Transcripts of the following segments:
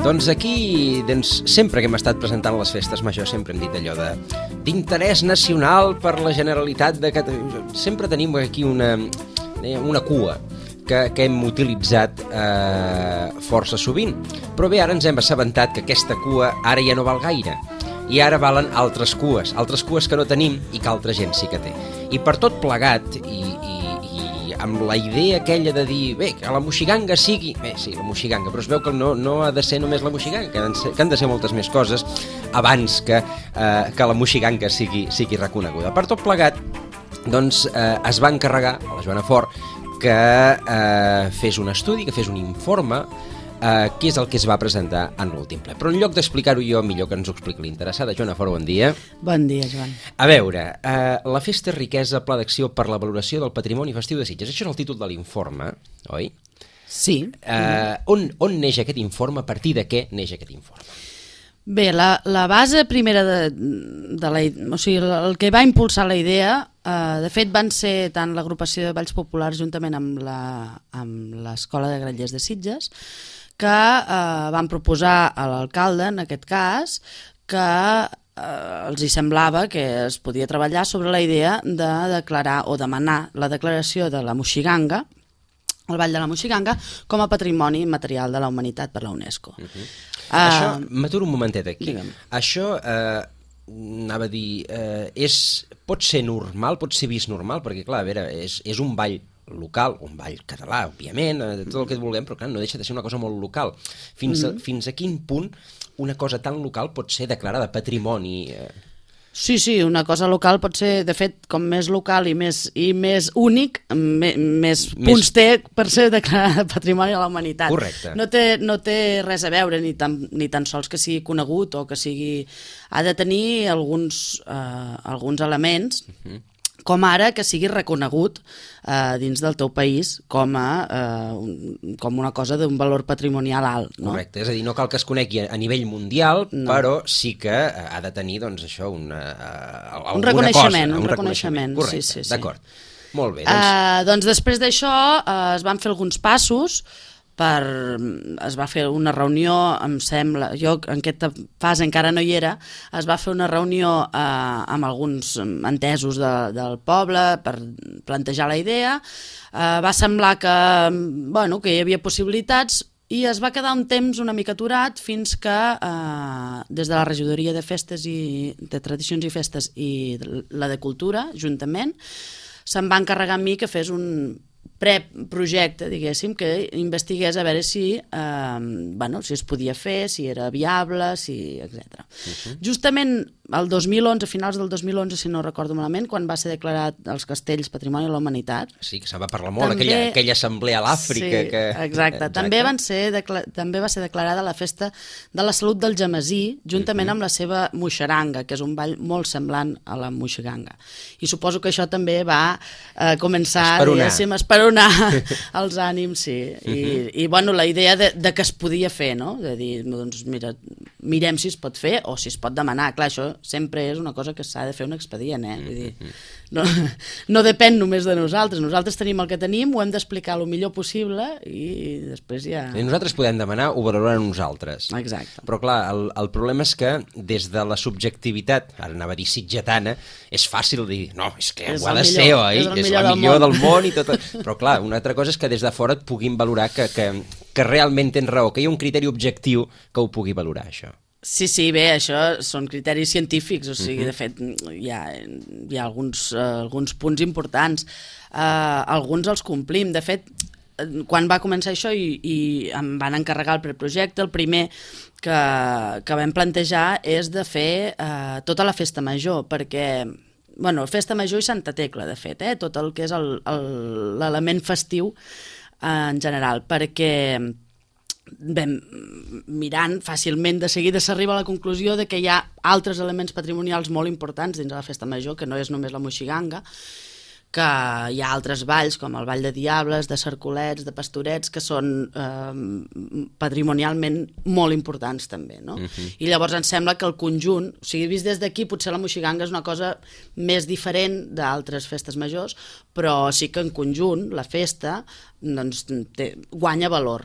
Doncs aquí, sempre que hem estat presentant les festes majors, sempre hem dit allò d'interès nacional per la Generalitat de Catalunya. Sempre tenim aquí una cua que hem utilitzat força sovint. Però bé, ara ens hem assabentat que aquesta cua ara ja no val gaire. I ara valen altres cues que no tenim i que altra gent sí que té. I per tot plegat, i amb la idea aquella de dir, bé, que la moixiganga sigui... Bé, sí, la moixiganga, però es veu que no ha de ser només la moixiganga, que han de ser moltes més coses abans que la moixiganga sigui reconeguda. Per tot plegat, doncs, es va encarregar a la Joana Fort que fes un estudi, que fes un informe, què és el que es va presentar en l'últim ple. Però en lloc d'explicar-ho jo, millor que ens ho expliqui l'interessada. Joana Fort, bon dia. Bon dia, Joan. A veure, la festa riquesa, pla d'acció per la valoració del patrimoni festiu de Sitges. Això és el títol de l'informe, oi? Sí. On neix aquest informe? A partir de què neix aquest informe? Bé, la base primera o sigui, el que va impulsar la idea, de fet van ser tant l'agrupació de Balls Populars juntament amb l'Escola de Grallers de Sitges, que van proposar a l'alcalde, en aquest cas, que els hi semblava que es podia treballar sobre la idea de declarar o demanar la declaració de la moixiganga, el Ball de la Moixiganga, com a patrimoni immaterial de la humanitat per la UNESCO. Això, m'aturo un momentet aquí. Digue'm. Això, anava a dir, pot ser normal, pot ser vist normal, perquè clar, a veure, és un ball local, un ball català, òbviament, tot el que vulguem, però clar, no deixa de ser una cosa molt local. Fins a quin punt una cosa tan local pot ser declarada patrimoni? Sí, una cosa local pot ser, de fet, com més local i més únic, més punts té per ser declarada patrimoni de la humanitat. Correcte. No té res a veure, ni tan sols que sigui conegut o que sigui... Ha de tenir alguns elements, com ara que sigui reconegut dins del teu país com una cosa d'un valor patrimonial alt. No? Correcte, és a dir, no cal que es conegui a nivell mundial, però sí que ha de tenir, doncs, això, un reconeixement. Un reconeixement, correcte, sí. D'acord. Molt bé. Doncs després d'això es van fer alguns passos. Es va fer una reunió, em sembla, jo en aquesta fase encara no hi era, es va fer una reunió amb alguns entesos del poble per plantejar la idea. Va semblar que hi havia possibilitats i es va quedar un temps una mica aturat fins que des de la regidoria de festes de tradicions i festes i la de cultura, juntament, se'm va encarregar a mi que fes un preprojecte, diguéssim, que investigués a veure si es podia fer, si era viable, etc. Justament el 2011, a finals del 2011, si no recordo malament, quan va ser declarat els castells Patrimoni de la Humanitat. Sí, que se'n va parlar molt, aquella assemblea a l'Àfrica. Sí, exacte. També va ser declarada la Festa de la Salut del Gemesí, juntament amb la seva moixeranga, que és un ball molt semblant a la moixiganga. I suposo que això també va començar a esperonar els ànims, sí. I la idea de que es podia fer, no? De dir, doncs mira, mirem si es pot fer o si es pot demanar. Clar, això sempre és una cosa que s'ha de fer un expedient, Vull dir, no depèn només de nosaltres. Nosaltres tenim el que tenim, ho hem d'explicar el millor possible i després ja... I nosaltres podem demanar, ho valoraran nosaltres. Exacte. Però clar, el problema és que des de la subjectivitat, ara anava a dir sitgetana, és fàcil dir, no, és que ho ha de ser, oi? És el millor del món i tot. Però clar, una altra cosa és que des de fora et puguin valorar que realment tens raó, que hi ha un criteri objectiu que ho pugui valorar, això. Sí, bé, això són criteris científics, o sigui, de fet, hi ha alguns punts importants. Alguns els complim. De fet, quan va començar això i em van encarregar el preprojecte, el primer que vam plantejar és de fer tota la festa major, perquè... Festa Major i Santa Tecla, de fet, tot el que és l'element festiu en general, perquè mirant fàcilment de seguida s'arriba a la conclusió de que hi ha altres elements patrimonials molt importants dins de la Festa Major, que no és només la moixiganga, que hi ha altres balls com el Ball de Diables, de Cercolets, de Pastorets, que són patrimonialment molt importants també, no? I llavors ens sembla que el conjunt, o sigui, vist des d'aquí potser la moixiganga és una cosa més diferent d'altres festes majors, però sí que en conjunt la festa doncs, guanya valor.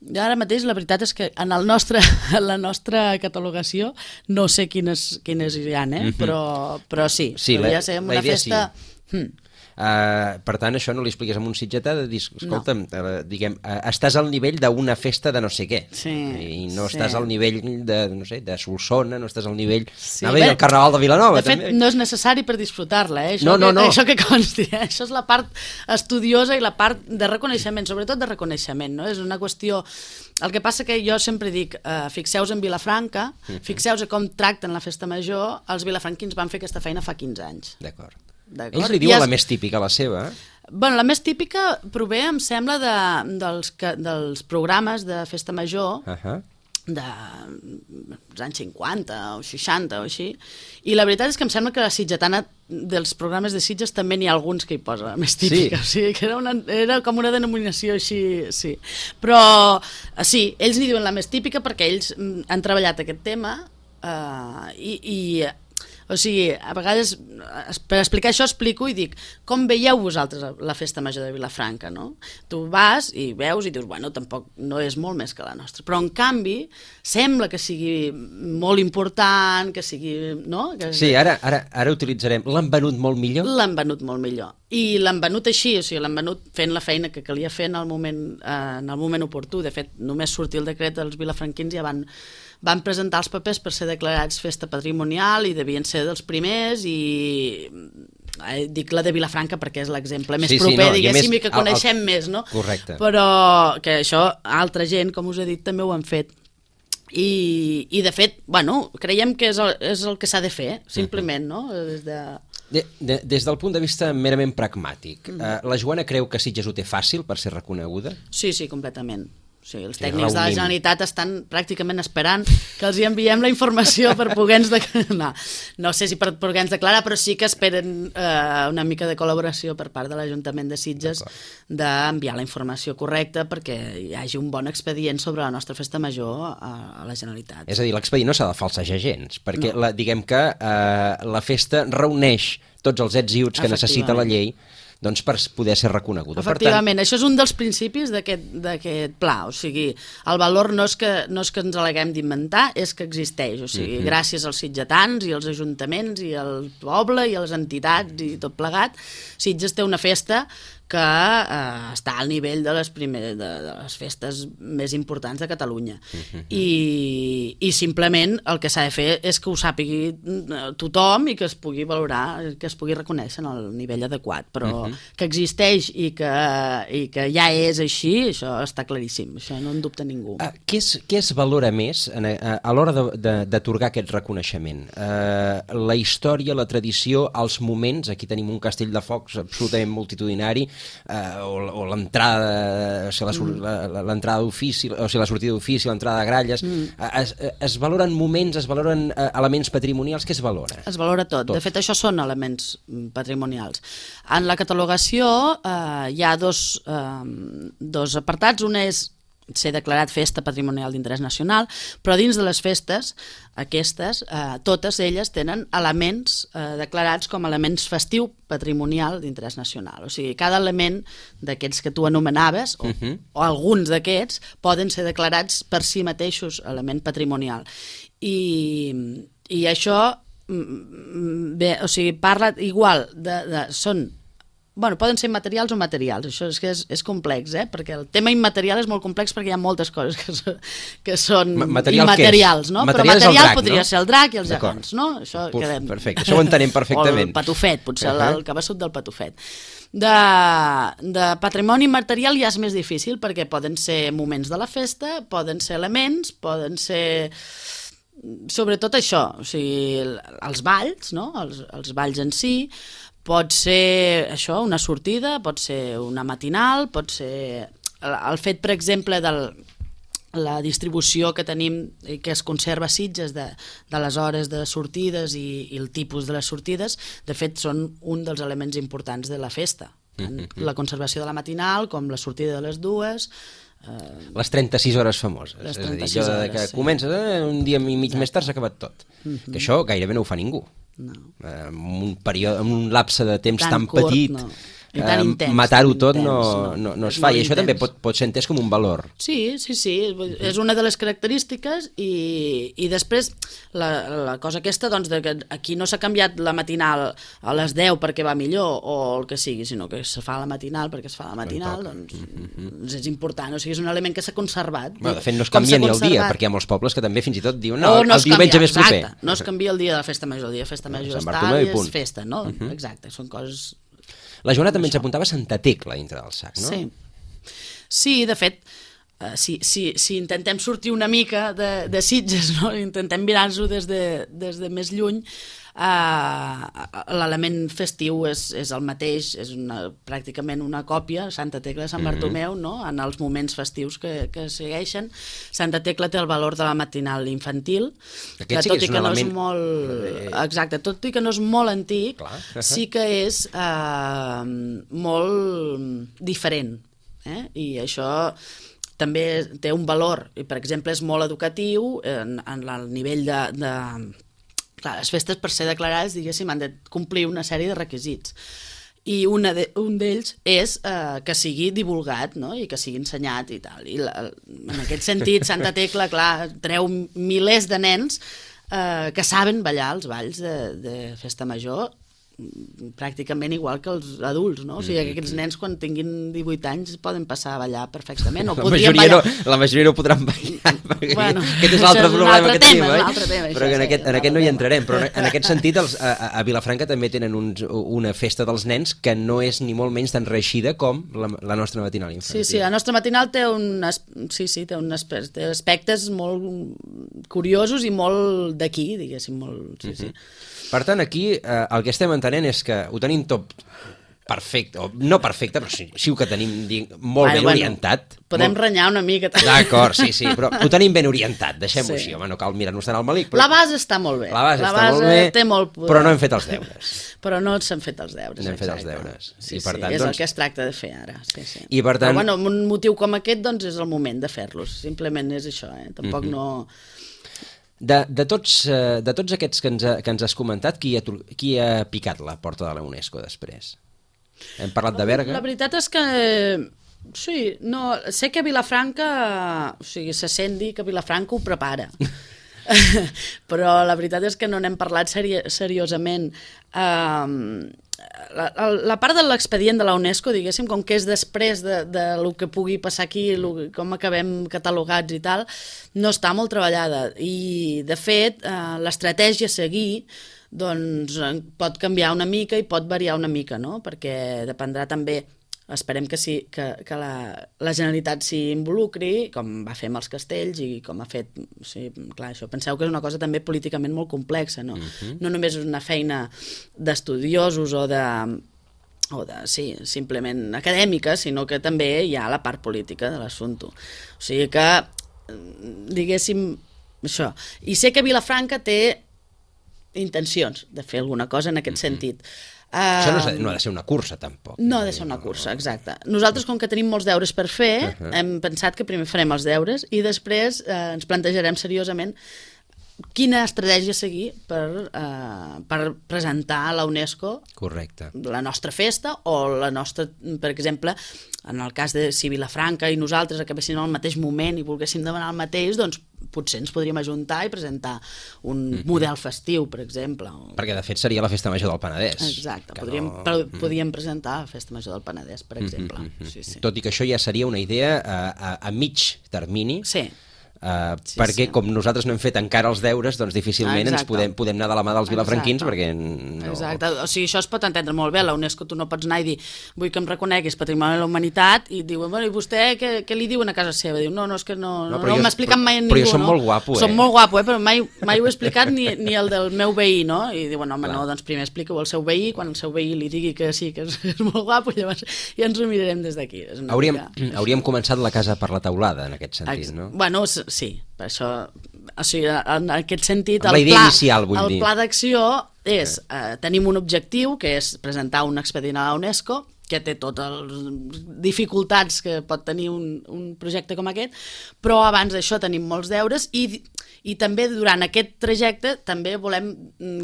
Jo ara mateix la veritat és que en la nostra catalogació no sé quines hi ha, però sí, podria ser una festa... Sí. Per tant, això no li expliques amb un sitgetà de dir, escolta'm, diguem, estàs al nivell d'una festa de no sé què, i no estàs al nivell de, no sé, de Solsona, no estàs al nivell del Carnaval de Vilanova. De fet, no és necessari per disfrutar-la, No. Això que consti, això és la part estudiosa i la part de reconeixement, sobretot de reconeixement, no? És una qüestió... El que passa que jo sempre dic, fixeu-vos en Vilafranca, fixeu-vos com tracten la festa major, els vilafranquins van fer aquesta feina fa 15 anys. D'acord. Ells li diuen la més típica, la seva? Bueno, la més típica prové, em sembla, dels programes de festa major dels anys 50 o 60 o així, i la veritat és que em sembla que la sitgetana dels programes de Sitges també n'hi ha alguns que hi posa la més típica, o sigui, que era com una denominació així, sí. Però sí, ells n'hi diuen la més típica perquè ells han treballat aquest tema o sigui, a vegades, per explicar això explico i dic, com veieu vosaltres la festa major de Vilafranca, no? Tu vas i veus i dius, bueno, tampoc no és molt més que la nostra, però en canvi sembla que sigui molt important, que sigui, no? Sí, ara utilitzarem, l'han venut molt millor? L'han venut molt millor, i l'han venut així, o sigui, l'han venut fent la feina que calia fer en el moment oportú. De fet, només sortir el decret, els vilafranquins ja van presentar els papers per ser declarats festa patrimonial i devien ser dels primers, i dic la de Vilafranca perquè és l'exemple més proper, diguéssim, i que coneixem més, no? Correcte. Però que això altra gent, com us he dit, també ho han fet. I de fet, bueno, creiem que és el que s'ha de fer, simplement, no? Des del punt de vista merament pragmàtic, la Joana creu que Sitges ho té fàcil per ser reconeguda? Sí, completament. O sigui, els tècnics de la Generalitat estan pràcticament esperant que els hi enviem la informació per poder-nos declarar. No sé si per poder-nos declarar, però sí que esperen una mica de col·laboració per part de l'Ajuntament de Sitges d'enviar la informació correcta perquè hi hagi un bon expedient sobre la nostra festa major a la Generalitat. És a dir, l'expedient no s'ha de falsejar gens, perquè diguem que la festa reuneix tots els ets i uts que necessita la llei doncs per poder ser reconeguda. Efectivament, això és un dels principis d'aquest pla, o sigui, el valor no és que ens l'haguem d'inventar, és que existeix, o sigui, gràcies als sitgetans i als ajuntaments i al poble i a les entitats i tot plegat, Sitges té una festa que està al nivell de les festes més importants de Catalunya. I simplement el que s'ha de fer és que ho sàpigui tothom i que es pugui valorar, que es pugui reconèixer en el nivell adequat, però que existeix i que ja és així, això està claríssim, això no en dubta ningú. Què es valora més a l'hora d'atorgar aquest reconeixement? La història, la tradició, els moments, aquí tenim un castell de focs absolutament multitudinari, o l'entrada, l'entrada d'ofici, o sigui, la sortida d'ofici, l'entrada de gralles, es valoren moments, es valoren elements patrimonials, què es valora? Es valora tot. De fet, això són elements patrimonials. En la catalogació hi ha dos apartats, un és ser declarat festa patrimonial d'interès nacional, però dins de les festes, aquestes, totes elles tenen elements declarats com elements festiu patrimonial d'interès nacional. O sigui, cada element d'aquests que tu anomenaves, o alguns d'aquests, poden ser declarats per si mateixos element patrimonial. I això, bé, o sigui, parla igual són... Bueno, poden ser materials o materials, això és complex, perquè el tema immaterial és molt complex perquè hi ha moltes coses que són immaterials, no? Però material podria ser el drac i els gegants, no? Perfecte, això ho entenem perfectament. O el patufet, potser el cabeçut del patufet. De patrimoni material ja és més difícil perquè poden ser moments de la festa, poden ser elements, poden ser... Sobretot això, o sigui, els balls, no? Els balls en si, pot ser això, una sortida, pot ser una matinal, pot ser el fet, per exemple, de la distribució que tenim i que es conserva a Sitges de les hores de sortides i el tipus de les sortides, de fet són un dels elements importants de la festa. La conservació de la matinal, com la sortida de les dues... Les 36 hores famoses. És a dir, allò que comences un dia i mig més tard s'ha acabat tot. Que això gairebé no ho fa ningú. No. En un lapse de temps tan petit matar-ho tot no es fa, i això també pot ser entès com un valor. Sí, és una de les característiques, i després la cosa aquesta, doncs, que aquí no s'ha canviat la matinal a les 10 perquè va millor o el que sigui, sinó que se fa la matinal perquè es fa la matinal, doncs és important, o sigui, és un element que s'ha conservat. De fet, no es canvia ni el dia, perquè hi ha molts pobles que també fins i tot diuen el diumenge més proper. Exacte, no es canvia el dia de la festa major, el dia de festa major està i és festa, no? Exacte, són coses... La Joana també ens apuntava Santa Tecla dintre del sac, no? Sí, de fet, si intentem sortir una mica de Sitges, no? Intentem mirar-nos-ho des de més lluny, l'element festiu és el mateix, és pràcticament una còpia, Santa Tecla de Sant Bartomeu, no? En els moments festius que segueixen. Santa Tecla té el valor de la matinal infantil, que tot i que no és molt... Exacte, tot i que no és molt antic, sí que és molt diferent, i això també té un valor, i per exemple és molt educatiu en el nivell de... Clar, les festes, per ser declarades, diguéssim, han de complir una sèrie de requisits. I un d'ells és que sigui divulgat, no? I que sigui ensenyat i tal. I en aquest sentit, Santa Tecla, clar, treu milers de nens que saben ballar els balls de festa major, pràcticament igual que els adults, no? O sigui, que aquests nens quan tinguin 18 anys poden passar a ballar perfectament, o podrien ballar. La majoria no podran ballar, bueno, aquest és l'altre problema que tenim, però en aquest no hi entrarem, però en aquest sentit a Vilafranca també tenen una festa dels nens que no és ni molt menys tan reeixida com la nostra matinal infantil. Sí, la nostra matinal té aspectes molt curiosos i molt d'aquí, diguéssim, molt... Per tant, aquí el que estem entenent és que ho tenim tot perfecte, o no perfecte, però sí que tenim molt ben orientat. Podem renyar una mica. D'acord, sí, però ho tenim ben orientat, deixem-ho així, home, no cal mirar-nos tant al malic. La base està molt bé. La base està molt bé, té molt poder. Però no hem fet els deures. Però no s'han fet els deures. No hem fet els deures. Sí, és el que es tracta de fer ara. I per tant... Però bueno, un motiu com aquest, doncs, és el moment de fer-los. Simplement és això, tampoc no... De tots aquests que ens has comentat, qui ha picat la porta de la UNESCO després? Hem parlat de Berga? La veritat és que... Sí, no, sé que Vilafranca... O sigui, se sent dir que Vilafranca ho prepara. Però la veritat és que no n'hem parlat seriosament. La part de l'expedient de la UNESCO, diguéssim, com que és després de lo que pugui passar aquí, com acabem catalogats i tal, no està molt treballada. I, de fet, l'estratègia a seguir doncs, pot canviar una mica i pot variar una mica, no? Perquè dependrà també, esperem que la Generalitat s'hi involucri, com va fer amb els castells i com ha fet... Clar, això penseu que és una cosa també políticament molt complexa, no? No només és una feina d'estudiosos o de simplement acadèmica, sinó que també hi ha la part política de l'assumpte. O sigui que, diguéssim, això. I sé que Vilafranca té intencions de fer alguna cosa en aquest sentit. Això no ha de ser una cursa, tampoc. No ha de ser una cursa, exacte. Nosaltres, com que tenim molts deures per fer, hem pensat que primer farem els deures i després ens plantejarem seriosament quina estratègia seguir per presentar a la UNESCO la nostra festa o la nostra, per exemple, en el cas de si Vilafranca i nosaltres acabéssim al mateix moment i volguéssim demanar el mateix, doncs potser ens podríem ajuntar i presentar un model festiu, per exemple. Perquè, de fet, seria la Festa Major del Penedès. Exacte, podríem presentar la Festa Major del Penedès, per exemple. Tot i que això ja seria una idea a mig termini. Sí. Perquè com nosaltres no hem fet encara els deures, doncs difícilment ens podem anar de la mà dels vilafranquins, perquè no... Exacte, o sigui, això es pot entendre molt bé. La UNESCO tu no pots anar i dir vull que em reconeguis Patrimoni de la Humanitat i diuen, bueno, i vostè què li diuen a casa seva? Diu, no, és que no m'ha explicat mai a ningú. Però jo som molt guapo, Som molt guapo, però mai ho he explicat ni el del meu veí, no? I diuen, home, no, doncs primer explica-ho al seu veí, quan el seu veí li digui que sí, que és molt guapo, llavors ja ens ho mirarem des d'aquí. Hauríem començat la casa per la teulada, en aquest sentit, no? Bueno, sí, per això, o sigui, en aquest sentit, la idea inicial, vull dir. El pla d'acció és, tenim un objectiu, que és presentar un expedient a la UNESCO, que té totes les dificultats que pot tenir un projecte com aquest, però abans d'això tenim molts deures i I també durant aquest trajecte també volem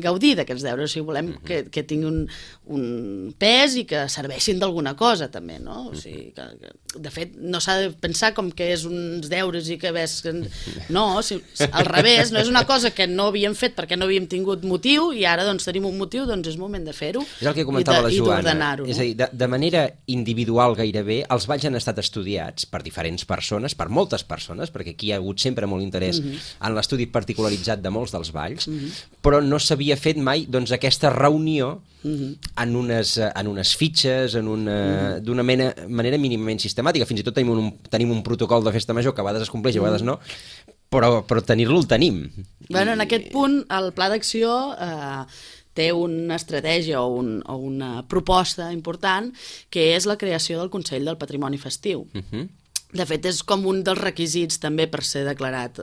gaudir d'aquests deures, o sigui, volem que tinguin un pes i que serveixin d'alguna cosa també, no? O sigui, que de fet no s'ha de pensar com que és uns deures i que ves... No, al revés, no és una cosa que no havíem fet perquè no havíem tingut motiu i ara doncs tenim un motiu, doncs és moment de fer-ho. És el que comentava la Joana, és a dir, de manera individual gairebé, els balls han estat estudiats per diferents persones, per moltes persones, perquè aquí hi ha hagut sempre molt interès en l'estudi particularitzat de molts dels balls, però no s'havia fet mai doncs, aquesta reunió en unes fitxes, d'una manera mínimament sistemàtica. Fins i tot tenim un protocol de festa major que a vegades es compleix i a vegades no, però tenir-lo el tenim. Bueno, en aquest punt, el pla d'acció té una estratègia o una proposta important, que és la creació del Consell del Patrimoni Festiu. De fet, és com un dels requisits també per ser declarat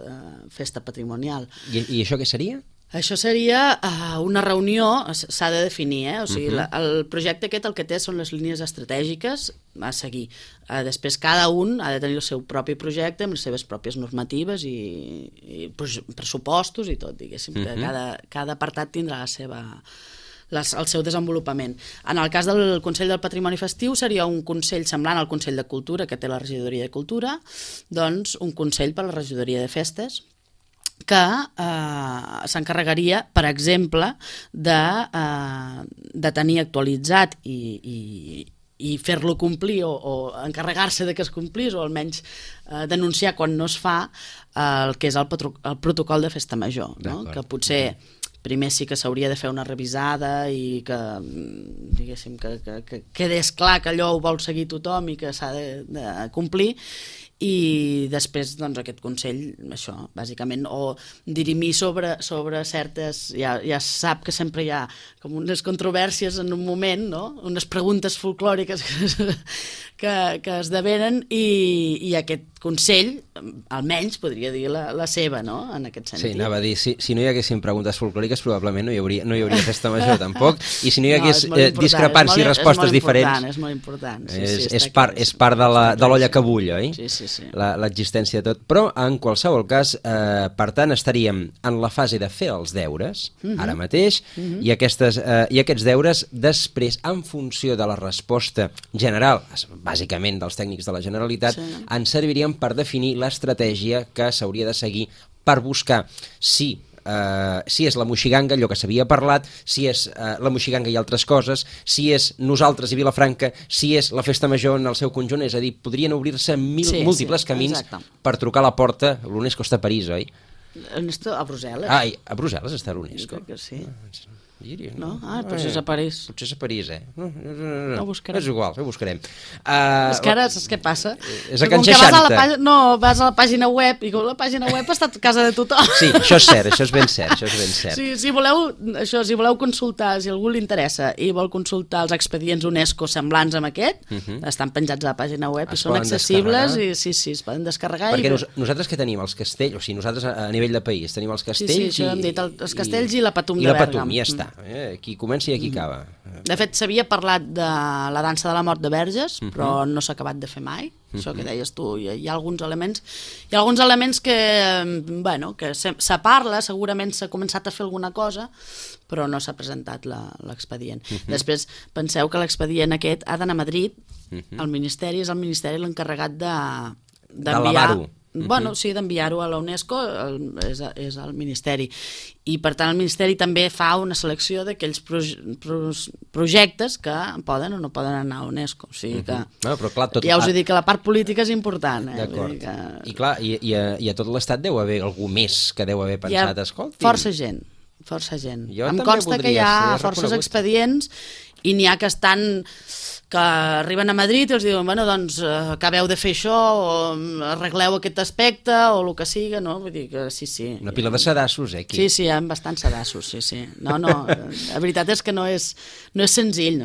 festa patrimonial. I això què seria? Això seria una reunió, s'ha de definir, o sigui, el projecte aquest el que té són les línies estratègiques a seguir. Després cada un ha de tenir el seu propi projecte amb les seves pròpies normatives i pressupostos i tot, diguéssim, que cada apartat tindrà el seu desenvolupament. En el cas del Consell del Patrimoni Festiu seria un consell semblant al Consell de Cultura que té la Regidoria de Cultura, doncs un consell per a la Regidoria de Festes, que s'encarregaria, per exemple, de tenir actualitzat i fer-lo complir o encarregar-se de que es complís o almenys denunciar quan no es fa el que és el protocol de festa major, no? Que potser primer sí que s'hauria de fer una revisada i que, diguéssim, que quedés clar que allò ho vol seguir tothom i que s'ha de complir, i després doncs, aquest Consell, això, bàsicament, o dirimir sobre certes... Ja sap que sempre hi ha com unes controvèrsies en un moment, no? Unes preguntes folclòriques que esdevenen i aquest Consell, almenys, podria dir la seva, no?, en aquest sentit. Sí, anava a dir, si no hi haguessin preguntes folclòriques, probablement no hi hauria festa major, tampoc, i si no hi hagués discrepància i respostes diferents... És molt important, és part de l'olla que bull, oi? Sí. L'existència de tot. Però, en qualsevol cas, per tant, estaríem en la fase de fer els deures, ara mateix, i aquests deures, després, en funció de la resposta general, bàsicament dels tècnics de la Generalitat, ens servirien per definir l'estratègia que s'hauria de seguir per buscar si és la moixiganga, allò que s'havia parlat, si és la moixiganga i altres coses, si és nosaltres i Vilafranca, si és la festa major en el seu conjunt, és a dir, podrien obrir-se múltiples camins per trucar a la porta. L'UNESCO està a París, oi? A Brussel·les. Ai, a Brussel·les està l'UNESCO? Crec que sí. No? Potser és a París. Potser és a París, No ho buscarem. És igual, ho buscarem. És que ara, saps què passa? És a Can 60. Vas a la pàgina web i com la pàgina web està a casa de tothom. Sí, això és cert, això és ben cert. Sí, si voleu consultar, si algú li interessa i vol consultar els expedients UNESCO semblants amb aquest, estan penjats a la pàgina web i són accessibles i sí, es poden descarregar. Perquè nosaltres que tenim els castells, o sigui, nosaltres a nivell de país tenim els castells... Sí, això hem dit, els castells i la Patum de Bèrgam. I ja està. Aquí comença i aquí acaba. De fet, s'havia parlat de la dansa de la mort de Verges, però no s'ha acabat de fer mai. Això que deies tu, hi ha alguns elements que, bueno, que se parla, segurament s'ha començat a fer alguna cosa, però no s'ha presentat l'expedient. Després, penseu que l'expedient aquest ha d'anar a Madrid, el Ministeri és el Ministeri l'encarregat d'enviar-ho. Bueno, sí, d'enviar-ho a la UNESCO és el Ministeri. I, per tant, el Ministeri també fa una selecció d'aquells projectes que poden o no poden anar a UNESCO. O sigui que... Però clar, ja us he dit que la part política és important. D'acord. I clar, i a tot l'Estat deu haver algú més que deu haver pensat, escolti... Força gent. Em consta que hi ha forces expedients i n'hi ha que arriben a Madrid i els diuen, bueno, doncs acabeu de fer això o arregleu aquest aspecte o el que siga, no? Vull dir que sí. Una pila de sedassos, aquí. Sí, hi ha bastants sedassos, sí. No, la veritat és que no és senzill,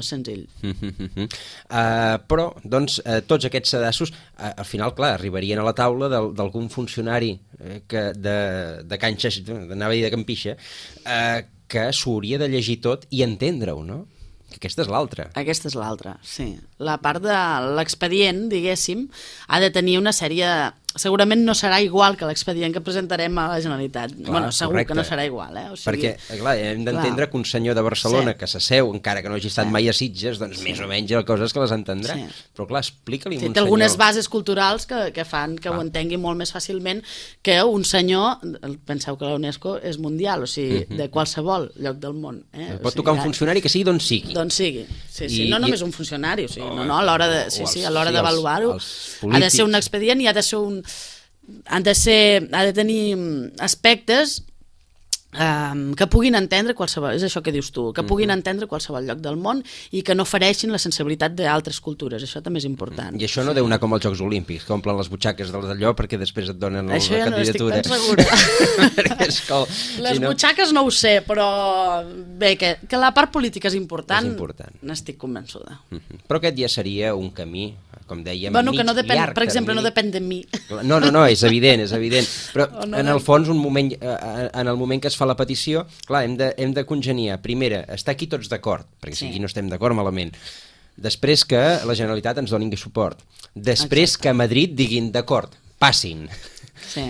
Però, doncs, tots aquests sedassos, al final, clar, arribarien a la taula d'algun funcionari de Can Xaix, anava a dir de Can Pixa, que s'ho hauria de llegir tot i entendre-ho, no? Aquesta és l'altra. Sí. La part de l'expedient, diguéssim, ha de tenir una sèrie... O segurament no serà igual que l'expedient que presentarem a la Generalitat. Segur que no serà igual. Perquè, clar, hem d'entendre que un senyor de Barcelona que s'asseu, encara que no hagi estat mai a Sitges, doncs més o menys hi ha coses que les entendrà. Però, clar, explica-li a un senyor... Té algunes bases culturals que fan que ho entengui molt més fàcilment que un senyor... Penseu que la UNESCO és mundial, o sigui, de qualsevol lloc del món. Pot tocar un funcionari que sigui d'on sigui. D'on sigui, sí. No només un funcionari, a l'hora d'avaluar-ho ha de ser un expedient i ha de tenir aspectes que puguin entendre qualsevol, és això que dius tu, que puguin entendre qualsevol lloc del món i que no fereixin la sensibilitat d'altres cultures, això també és important. I això no deu anar com als Jocs Olímpics, que omplen les butxaques d'allò perquè després et donen la candidatura. Això ja no estic tan segura. Les butxaques no ho sé, però bé, que la part política és important. N'estic convençuda. Però aquest ja seria un camí, com dèiem, que no depèn, per exemple, no depèn de mi. No, és evident, però en el fons, en el moment que es fa la petició, clar, hem de congeniar. Primera, estar aquí tots d'acord, perquè si aquí no estem d'acord, malament. Després que la Generalitat ens doni suport. Després que a Madrid diguin d'acord, passin.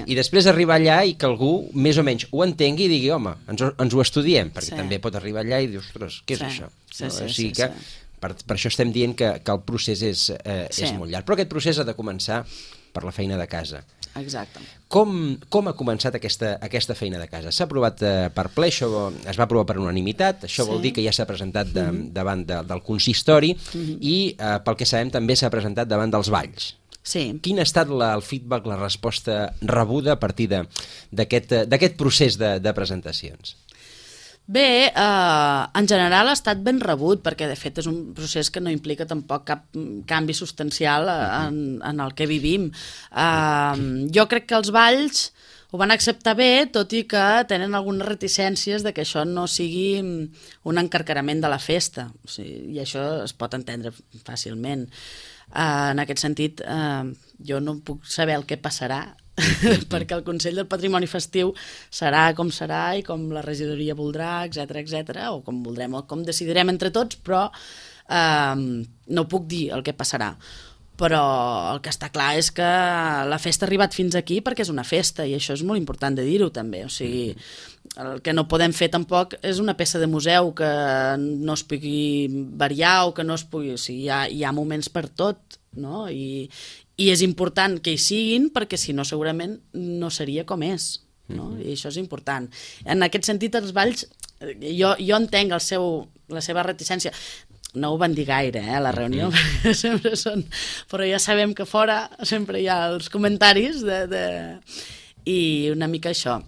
I després arribar allà i que algú més o menys ho entengui i digui, home, ens ho estudiem, perquè també pot arribar allà i dir, ostres, què és això? O sigui que per això estem dient que el procés és molt llarg. Però aquest procés ha de començar per la feina de casa. Exacte. Com ha començat aquesta feina de casa? S'ha aprovat per ple, això es va aprovar per unanimitat, això vol dir que ja s'ha presentat davant del consistori i pel que sabem també s'ha presentat davant dels Valls. Sí. Quin ha estat el feedback, la resposta rebuda a partir d'aquest procés de presentacions? Bé, en general ha estat ben rebut, perquè de fet és un procés que no implica tampoc cap canvi substancial en el que vivim. Jo crec que els Valls ho van acceptar bé, tot i que tenen algunes reticències de que això no sigui un encarcarament de la festa, i això es pot entendre fàcilment. En aquest sentit, jo no puc saber el que passarà, perquè el Consell del Patrimoni Festiu serà com serà i com la regidoria voldrà, etc, o com voldrem, o com decidirem entre tots, però no puc dir el que passarà. Però el que està clar és que la festa ha arribat fins aquí perquè és una festa, i això és molt important de dir-ho també. O sigui, el que no podem fer tampoc és una peça de museu que no es pugui variar o que no es pugui... O sigui, hi ha moments per tot, no? I és important que hi siguin perquè si no segurament no seria com és, no? I això és important. En aquest sentit els Valls, jo entenc la seva reticència. No ho van dir gaire, a la reunió, sempre són... Però ja sabem que fora sempre hi ha els comentaris i una mica això.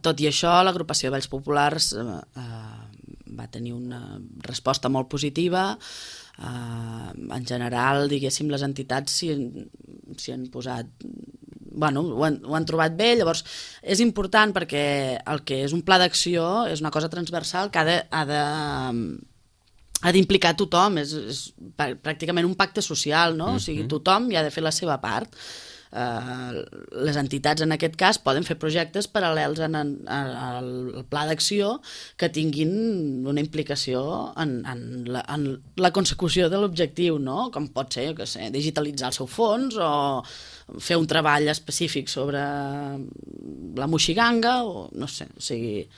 Tot i això, l'agrupació de Valls Populars va tenir una resposta molt positiva. En general, diguéssim, les entitats s'hi han posat... Bueno, ho han trobat bé, llavors és important perquè el que és un pla d'acció és una cosa transversal que ha d'implicar tothom, és pràcticament un pacte social, no? O sigui, tothom hi ha de fer la seva part. Les entitats en aquest cas poden fer projectes paral·lels al pla d'acció que tinguin una implicació en la consecució de l'objectiu, no? Com pot ser, jo què sé, digitalitzar el seu fons o fer un treball específic sobre la moixiganga o no sé, o sigui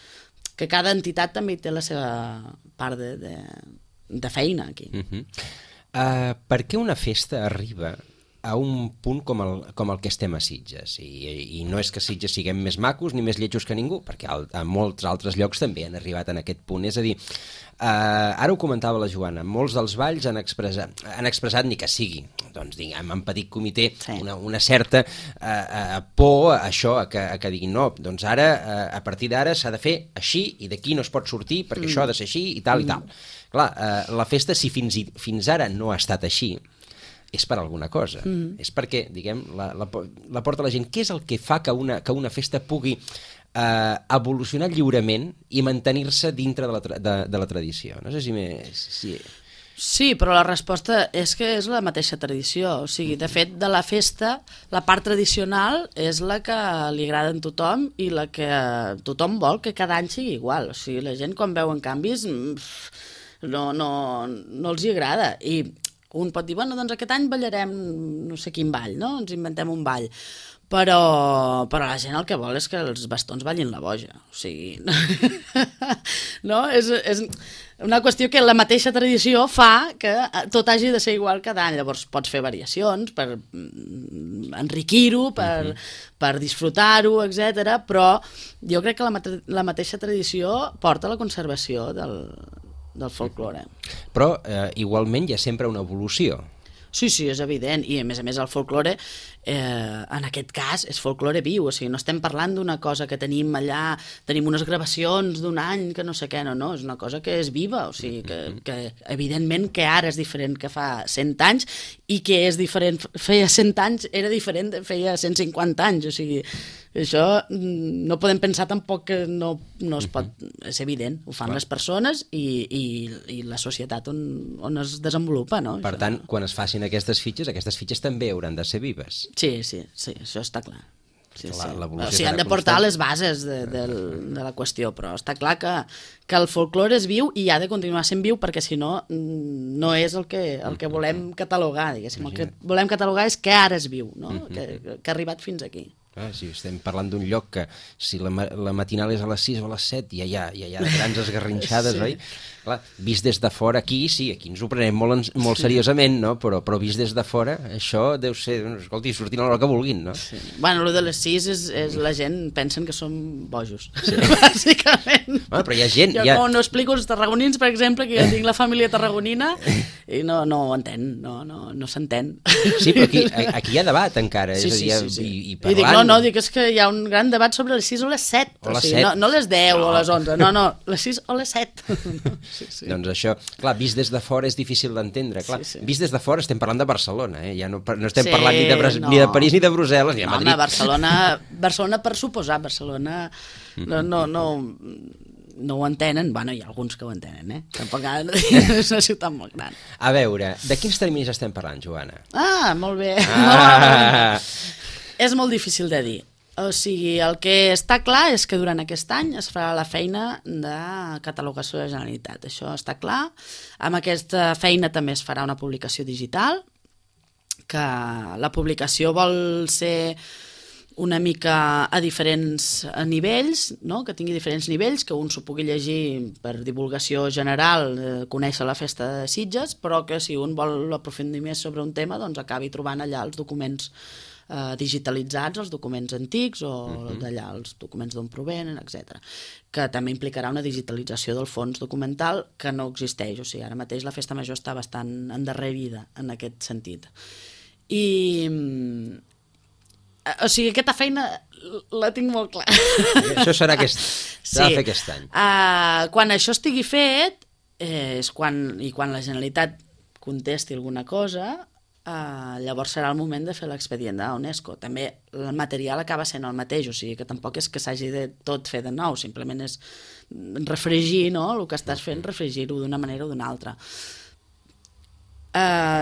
que cada entitat també té la seva part de feina aquí. Per què una festa arriba a un punt com el que estem a Sitges? I no és que a Sitges siguem més macos ni més lletjos que ningú, perquè a molts altres llocs també han arribat en aquest punt. És a dir, ara ho comentava la Joana, molts dels Valls han expressat ni que sigui, doncs diguem, en petit comitè, una certa por a això, a que diguin no, doncs ara, a partir d'ara s'ha de fer així i d'aquí no es pot sortir perquè això ha de ser així i tal i tal. Clar, la festa, si fins ara no ha estat així, és per alguna cosa. És perquè, diguem, la porta la gent. Què és el que fa que una festa pugui evolucionar lliurement i mantenir-se dintre de la tradició? No sé si... Sí, però la resposta és que és la mateixa tradició. O sigui, de fet, de la festa, la part tradicional és la que li agrada a tothom i la que tothom vol que cada any sigui igual. O sigui, la gent quan veuen canvis no els hi agrada. I Un pot dir, bueno, doncs aquest any ballarem no sé quin ball, no? Ens inventem un ball. Però la gent el que vol és que els bastons ballin la boja. O sigui, no? És una qüestió que la mateixa tradició fa que tot hagi de ser igual cada any. Llavors pots fer variacions per enriquir-ho, per disfrutar-ho, etc. Però jo crec que la mateixa tradició porta a la conservació del folklore. Però igualment hi ha sempre una evolució. Sí, és evident, i a més el folklore, en aquest cas, és folklore viu, o sigui, no estem parlant d'una cosa que tenim allà, tenim unes gravacions d'un any que no sé què, no, és una cosa que és viva, o sigui, que evidentment que ara és diferent que fa 100 anys, i que és diferent, feia 100 anys, era diferent de feia 150 anys, o sigui, això no podem pensar tampoc que no es pot, és evident, ho fan les persones i la societat on es desenvolupa, no? Per tant, quan es facin aquestes fitxes també hauran de ser vives. Sí, això està clar. O L'evolució sigui, han de portar les bases de la qüestió, però està clar que el folklore és viu i ha de continuar sent viu perquè si no, no és el que volem catalogar, diguéssim. El que volem catalogar és que ara és viu, no? Que ha arribat fins aquí. Si estem parlant d'un lloc que si la matinal és a les 6 o a les 7 ja hi ha grans esgarrinxades, oi? Clar, vist des de fora aquí, sí, aquí ens ho prenem molt seriosament, no? Però vist des de fora, això deu ser, escolti, sortint a l'hora que vulguin, no? Sí. Bueno, el de les 6 és la gent pensen que som bojos, bàsicament. Bueno, però hi ha gent... Jo no explico als tarragonins, per exemple, que jo tinc la família tarragonina i no ho entén, no s'entén. Sí, però aquí hi ha debat encara, és a dir, i parlant... No, dic, és que hi ha un gran debat sobre les 6 o les 7. O les 7. No les 10 o les 11, no, les 6 o les 7. Sí. Doncs això, clar, vist des de fora és difícil d'entendre, clar. Vist des de fora estem parlant de Barcelona, ja no estem parlant ni de París ni de Brussel·les ni de Madrid. Barcelona per suposar, Barcelona no ho entenen, bueno, hi ha alguns que ho entenen, tampoc és una ciutat molt gran. A veure, de quins terminis estem parlant, Joana? Molt bé. És molt difícil de dir. O sigui, el que està clar és que durant aquest any es farà la feina de catalogació de la Generalitat. Això està clar. Amb aquesta feina també es farà una publicació digital, que la publicació vol ser una mica a diferents nivells, no? Que tingui diferents nivells, que un s'ho pugui llegir per divulgació general, conèixer la festa de Sitges, però que si un vol aprofundir més sobre un tema, doncs acabi trobant allà els documents digitalitzats, els documents antics o d'allà els documents d'on provenen, etc. Que també implicarà una digitalització del fons documental que no existeix, o sigui, ara mateix la Festa Major està bastant endarrerida en aquest sentit. O sigui, aquesta feina la tinc molt clara. Això serà s'ha de fer aquest any. Quan això estigui fet, quan la Generalitat contesti alguna cosa, llavors serà el moment de fer l'expedient de UNESCO. També el material acaba sent el mateix, o sigui que tampoc és que s'hagi de tot fer de nou, simplement és refregir, no? El que estàs fent, refregir-ho d'una manera o d'una altra.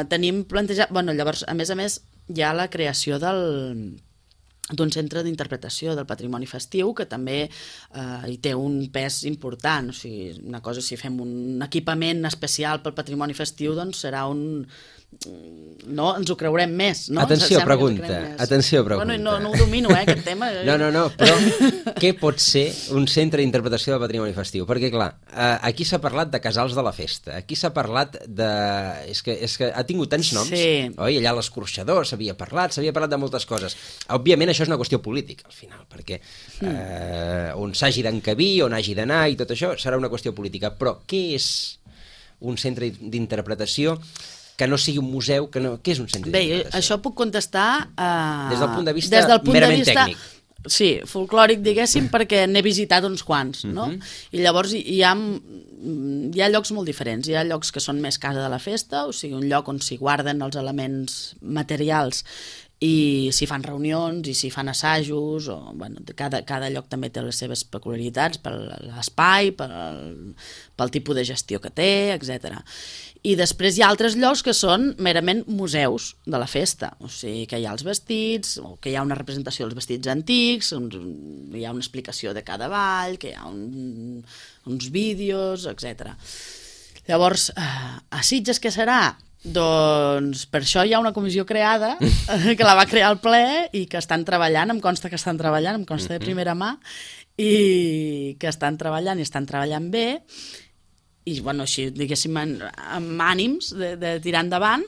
Tenim plantejat... Llavors, a més, hi ha la creació d'un centre d'interpretació del patrimoni festiu que també hi té un pes important. O sigui, una cosa, si fem un equipament especial pel patrimoni festiu, doncs serà un... No, ens ho creurem més, no? Atenció, pregunta. Bueno, no ho domino, aquest tema. No, però què pot ser un centre d'interpretació del patrimoni festiu? Perquè, clar, aquí s'ha parlat de casals de la festa, aquí s'ha parlat de... És que ha tingut tants noms, oi? Allà l'escorxador s'havia parlat de moltes coses. Òbviament, això és una qüestió política, al final, perquè on s'hagi d'encabir, on hagi d'anar i tot això serà una qüestió política. Però què és un centre d'interpretació que no sigui un museu, què és un centre d'interpretació? Bé, això puc contestar des del punt de vista merament tècnic. Sí, folclòric, diguéssim, perquè n'he visitat uns quants, no? I llavors hi ha llocs molt diferents. Hi ha llocs que són més casa de la festa, o sigui, un lloc on s'hi guarden els elements materials i s'hi fan reunions i s'hi fan assajos, cada lloc també té les seves peculiaritats per l'espai, pel tipus de gestió que té, etc. I després hi ha altres llocs que són merament museus de la festa, o sigui que hi ha els vestits, o que hi ha una representació dels vestits antics, hi ha una explicació de cada ball, que hi ha uns vídeos, etc. Llavors, a Sitges què serà? Doncs per això hi ha una comissió creada que la va crear el ple i que estan treballant, em consta de primera mà, i que estan treballant bé, i bueno, així diguéssim amb ànims de tirar endavant,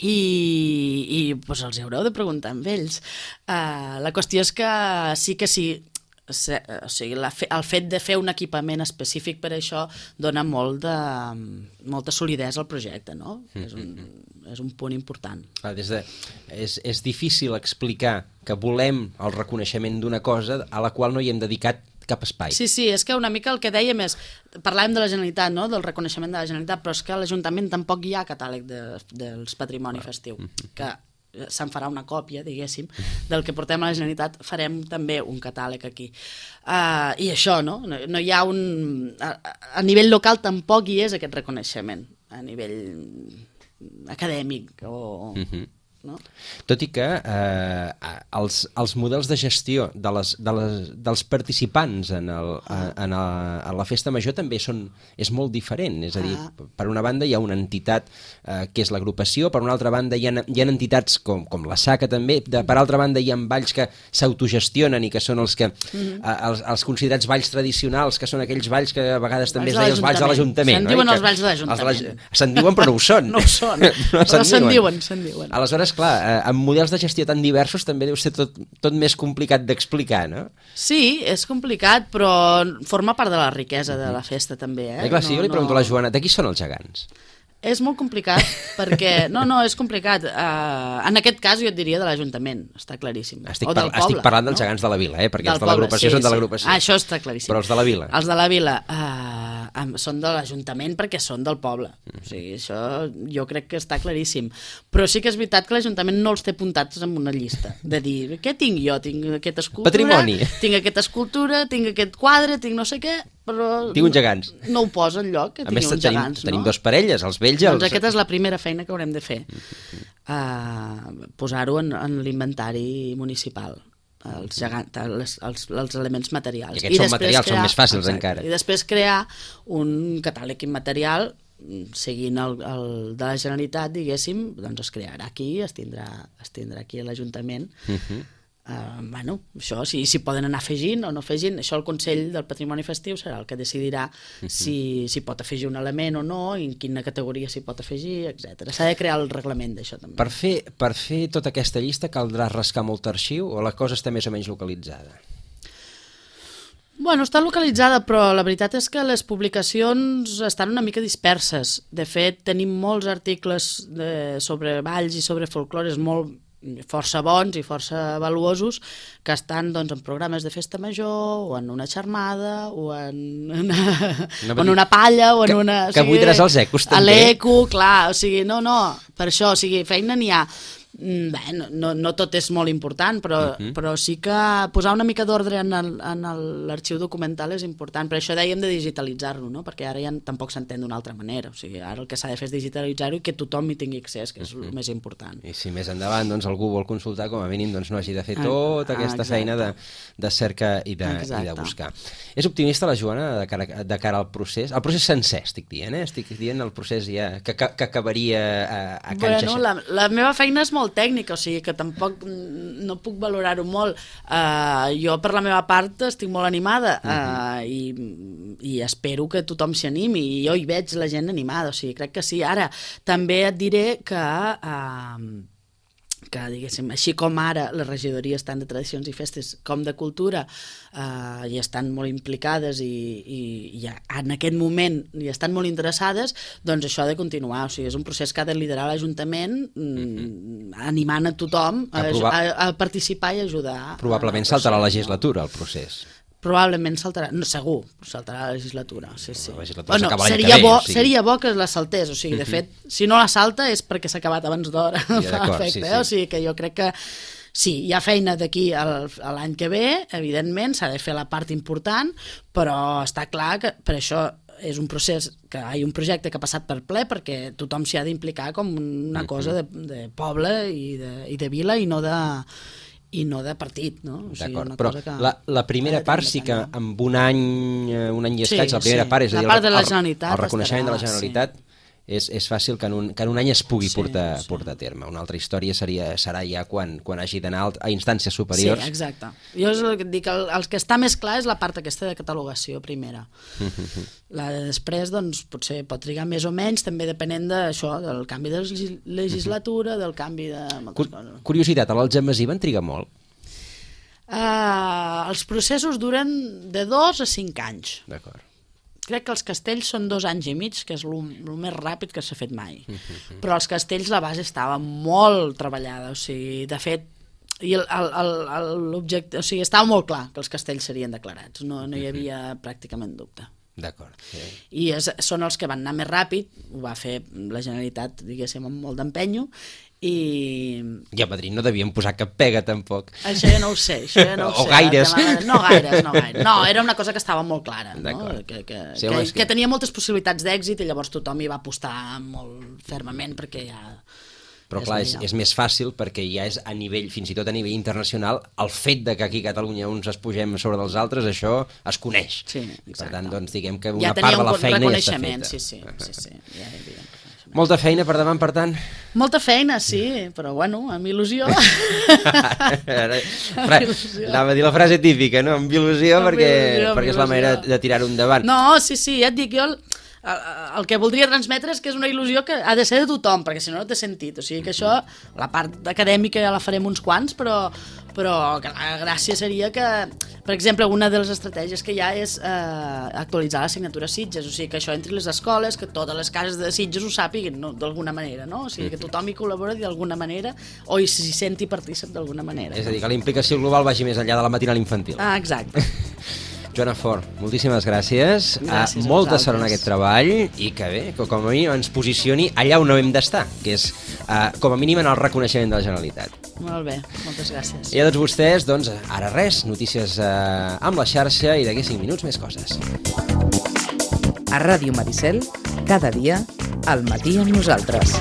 i doncs els haureu de preguntar amb ells. La qüestió és que sí, o sigui, el fet de fer un equipament específic per això dona molta solidesa al projecte, no? És un punt important. És difícil explicar que volem el reconeixement d'una cosa a la qual no hi hem dedicat cap espai. Sí, és que una mica el que dèiem és, parlàvem de la Generalitat, no? Del reconeixement de la Generalitat, però és que a l'Ajuntament tampoc hi ha catàleg dels patrimoni festiu, que se'n farà una còpia, diguéssim, del que portem a la Generalitat, farem també un catàleg aquí. I això, no? No hi ha a nivell local tampoc hi és aquest reconeixement, a nivell acadèmic o... No? Tot i que els models de gestió dels participants en la festa major també és molt diferent, és a dir, per una banda hi ha una entitat que és l'agrupació, per una altra banda hi ha entitats com la SACA també, per altra banda hi ha balls que s'autogestionen i que són els els considerats balls tradicionals, que són aquells balls que a vegades també es deia els balls de l'Ajuntament. Se'n diuen els balls de l'Ajuntament. Se'n diuen però no ho són. No ho són, però se'n diuen. Aleshores, clar, amb models de gestió tan diversos també deu ser tot més complicat d'explicar, no? Sí, és complicat, però forma part de la riquesa de la festa també, Clar, si jo li pregunto a la Joana, de qui són els gegants? És molt complicat, perquè... No, és complicat. En aquest cas jo et diria de l'Ajuntament, està claríssim. Estic parlant dels gegants de la vila, perquè els de l'agrupació són de l'agrupació. Això està claríssim. Però els de la vila? Els de la vila són de l'Ajuntament perquè són del poble. O sigui, això jo crec que està claríssim. Però sí que és veritat que l'Ajuntament no els té apuntats en una llista, de dir, què tinc jo? Tinc aquesta escultura, patrimoni. Tinc aquesta escultura, tinc aquest quadre, tinc no sé què, però... Tinc uns gegants. No ho posa enlloc, que tingui uns gegants, no? Tenim dos parelles, els vells i els... Doncs aquesta és la primera feina que haurem de fer. Posar-ho en l'inventari municipal. Els elements materials. I aquests són materials, són més fàcils encara. I després crear un catàleg immaterial seguint el de la Generalitat, diguéssim, doncs es crearà aquí, es tindrà aquí a l'Ajuntament. Bueno, això, si poden anar afegint o no afegint, això el Consell del Patrimoni Festiu serà el que decidirà si pot afegir un element o no, i en quina categoria s'hi pot afegir, etc. S'ha de crear el reglament d'això també. Per fer tota aquesta llista caldrà rascar molt arxiu o la cosa està més o menys localitzada? Bueno, està localitzada, però la veritat és que les publicacions estan una mica disperses. De fet, tenim molts articles sobre balls i sobre folclores força bons i força valuosos que estan doncs, en programes de festa major o en una xarmada o en una palla o en una... Que buidaràs els ecos també. A l'eco, clar, o sigui, no, per això, o sigui, feina n'hi ha. Bé, no tot és molt important, però sí que posar una mica d'ordre en l'arxiu documental és important. Per això dèiem de digitalitzar-lo, no? Perquè ara ja tampoc s'entén d'una altra manera. O sigui, ara el que s'ha de fer és digitalitzar-ho i que tothom hi tingui accés, que és el més important. I si més endavant doncs, algú vol consultar, com a mínim no hagi de fer tota aquesta feina de cerca i de buscar. És optimista la Joana de cara al procés? El procés sencer, estic dient, Estic dient el procés ja que acabaria a Can Xaixà. Bueno, la meva feina és molt tècnica, o sigui que tampoc no puc valorar-ho molt. Jo per la meva part estic molt animada i espero que tothom s'hi animi, i jo hi veig la gent animada, o sigui, crec que sí. Ara, també et diré que diguéssim, així com ara les regidories tant de tradicions i festes com de cultura hi estan molt implicades i en aquest moment hi estan molt interessades, doncs això ha de continuar. O sigui, és un procés que ha de liderar l'Ajuntament animant a tothom a participar i ajudar. Probablement saltarà la legislatura el procés. Probablement saltarà, no, segur, saltarà la legislatura. Sí. La legislatura seria bo que la saltés, o sigui, de fet, si no la salta és perquè s'ha acabat abans d'hora, fa efecte, o sigui que jo crec que sí, hi ha feina d'aquí a l'any que ve, evidentment, s'ha de fer la part important, però està clar que per això és un procés, que hi ha un projecte que ha passat per ple perquè tothom s'hi ha d'implicar com una cosa de poble i de vila i no de partit, no? O sigui, d'acord, però la primera part sí que amb un any i escaig, la primera part, és a dir, el reconeixement de la Generalitat és fàcil que en un any es pugui portar a terme. Una altra història serà ja quan hagi d'anar a instàncies superiors. Sí, exacte. Jo és el que et dic, el que està més clar és la part aquesta de catalogació primera. La de després, doncs, potser pot trigar més o menys, també depenent d'això, del canvi de legislatura, del canvi de moltes coses. Curiositat, a l'Algemesí van trigar molt? Els processos duren de 2 a 5 anys. D'acord. Crec que els castells són 2 anys i mig, que és el més ràpid que s'ha fet mai. Però els castells la base estava molt treballada, o sigui, de fet, i l'objecte, o sigui, estava molt clar que els castells serien declarats, no hi havia pràcticament dubte. D'acord. I són els que van anar més ràpid, ho va fer la Generalitat, diguéssim, amb molt d'empenyo, i a Madrid no devien posar cap pega tampoc. Això ja no ho sé, O gaires. No gaires. No, era una cosa que estava molt clara, no? Que tenia moltes possibilitats d'èxit i llavors tothom hi va apostar molt fermament perquè ja... Però clar, és més fàcil perquè ja és a nivell, fins i tot a nivell internacional, el fet de que aquí a Catalunya uns es pugem sobre dels altres, això es coneix. Sí, i per tant, doncs, diguem que una part de la feina ja està feta. Sí, ja hi havia. Molta feina per davant, per tant? Molta feina, sí, però bueno, amb il·lusió. Anava a dir la frase típica, no? Amb il·lusió, perquè és la manera de tirar-ho endavant. No, sí, ja et dic, jo el que voldria transmetre és que és una il·lusió que ha de ser de tothom, perquè si no té sentit. O sigui que això, la part acadèmica ja la farem uns quants, però que la gràcia seria que, per exemple, una de les estratègies que hi ha és actualitzar l'assignatura Sitges, o sigui que això entri les escoles, que totes les cases de Sitges ho sàpiguen, no? D'alguna manera, no? O sigui que tothom hi col·labora d'alguna manera o s'hi senti partícip d'alguna manera. És a dir, que la implicació global vagi més enllà de la matinal infantil. Exacte. Joana Fort, moltíssimes gràcies. Molta sort en aquest treball i que bé, que com a mínim ens posicioni allà on no hem d'estar, que és com a mínim en el reconeixement de la Generalitat. Molt bé, moltes gràcies. I a tots vostès, doncs, ara res, notícies amb la xarxa i d'aquí 5 minuts més coses. A Ràdio Maricel, cada dia, al matí amb nosaltres.